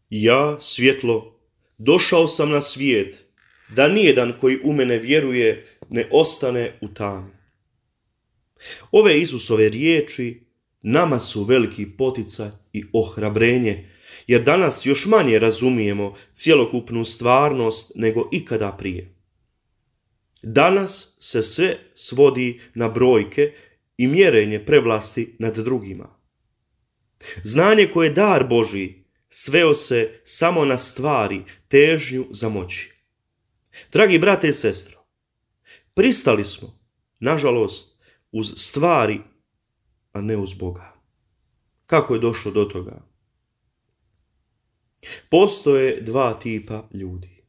Ja, svjetlo, došao sam na svijet, da nijedan koji u mene vjeruje ne ostane u tami. Ove Isusove riječi nama su veliki poticaj i ohrabrenje, jer danas još manje razumijemo cjelokupnu stvarnost nego ikada prije. Danas se sve svodi na brojke i mjerenje prevlasti nad drugima. Znanje koje je dar Božji sveo se samo na stvari, težnju za moći. Dragi brate i sestro, pristali smo, nažalost, uz stvari, a ne uz Boga. Kako je došlo do toga? Postoje dva tipa ljudi.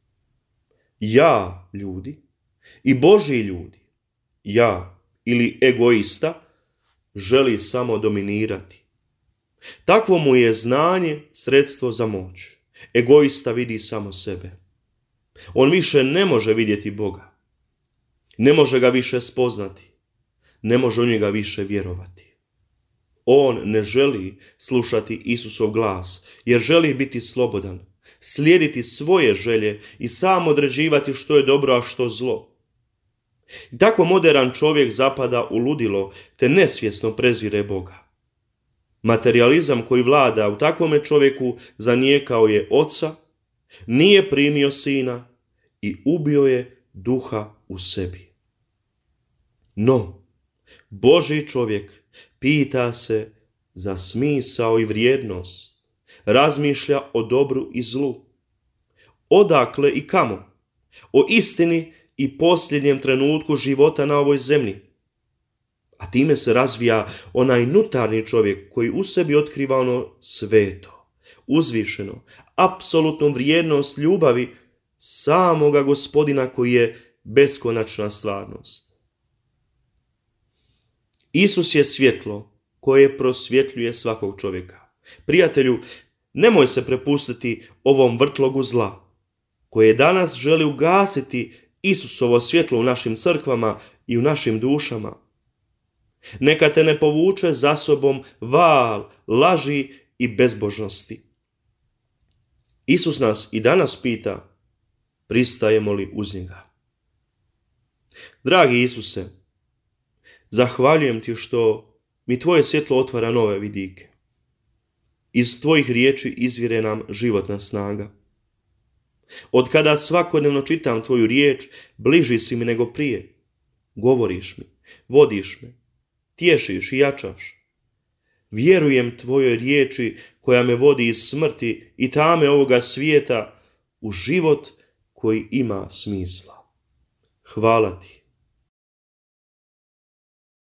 Ja ljudi i Božji ljudi. Ja ili egoista želi samo dominirati. Takvo mu je znanje sredstvo za moć. Egoista vidi samo sebe. On više ne može vidjeti Boga. Ne može ga više spoznati. Ne može u njega više vjerovati. On ne želi slušati Isusov glas, jer želi biti slobodan, slijediti svoje želje i sam određivati što je dobro, a što zlo. I tako moderan čovjek zapada u ludilo, te nesvjesno prezire Boga. Materijalizam koji vlada u takvome čovjeku zanijekao je Oca, nije primio Sina i ubio je Duha u sebi. No, Božji čovjek pita se za smisao i vrijednost, razmišlja o dobru i zlu. Odakle i kamo? O istini i posljednjem trenutku života na ovoj zemlji. A time se razvija onaj unutarnji čovjek koji u sebi otkriva ono sveto, uzvišeno, apsolutnu vrijednost ljubavi samoga Gospodina koji je beskonačna stvarnost. Isus je svjetlo koje prosvjetljuje svakog čovjeka. Prijatelju, nemoj se prepustiti ovom vrtlogu zla, koje danas želi ugasiti Isusovo svjetlo u našim crkvama i u našim dušama. Neka te ne povuče za sobom val laži i bezbožnosti. Isus nas i danas pita, pristajemo li uz njega? Dragi Isuse, zahvaljujem ti što mi tvoje svjetlo otvara nove vidike. Iz tvojih riječi izvire nam životna snaga. Od kada svakodnevno čitam tvoju riječ, bliži si mi nego prije. Govoriš mi, vodiš me, tješiš i jačaš. Vjerujem tvojoj riječi koja me vodi iz smrti i tame ovoga svijeta u život koji ima smisla. Hvala ti.